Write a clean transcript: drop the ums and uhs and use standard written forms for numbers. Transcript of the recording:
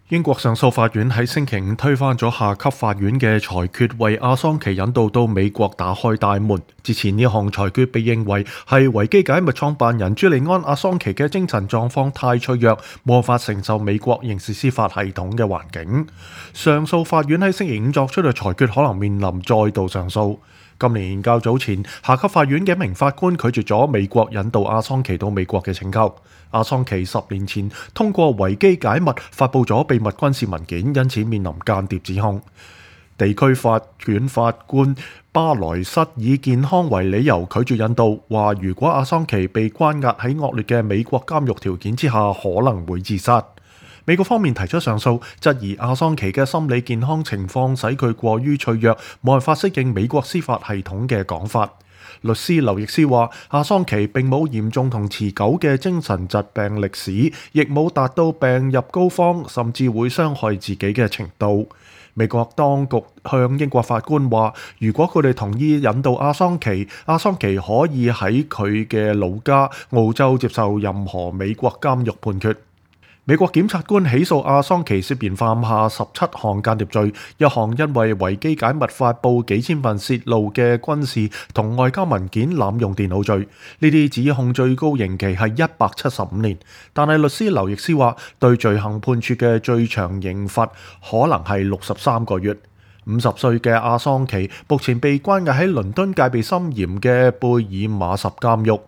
英國上訴法院喺星期五推翻咗下級法院嘅裁決，為阿桑奇引渡到美國打開大門。之前呢項裁決被認為係維基解密創辦人朱利安·阿桑奇嘅精神狀況太脆弱，無法承受美國刑事司法系統嘅環境。上訴法院喺星期五作出嘅裁決可能面臨再度上訴。今年較早前，下級法院嘅一名法官拒絕咗美國引渡阿桑奇到美國嘅請求。阿桑奇10年前通過維基解密發布咗秘密軍事文件，因此面臨間諜指控。地區法院法官巴萊瑟以健康為理由拒絕引渡，話如果阿桑奇被關押喺惡劣嘅美國監獄條件之下，可能會自殺。美國方面提出上訴，質疑阿桑奇嘅心理健康情況使佢過於脆弱，冇辦法適應美國司法系統嘅講法。律師劉易斯話：阿桑奇並冇嚴重同持久嘅精神疾病歷史，亦冇達到病入膏肓，甚至會傷害自己嘅程度。美國當局向英國法官話：如果佢哋同意引渡阿桑奇，阿桑奇可以喺佢嘅老家澳洲接受任何美國監獄判決。美國檢察官起訴阿桑奇涉嫌犯下17項間諜罪，一項因為維基解密發布幾千份泄露嘅軍事同外交文件濫用電腦罪。呢啲指控最高刑期係175年，但係律師劉易斯話，對罪行判處嘅最長刑罰可能係63個月。50歲嘅阿桑奇目前被關押喺倫敦戒備森嚴嘅貝爾馬什監獄。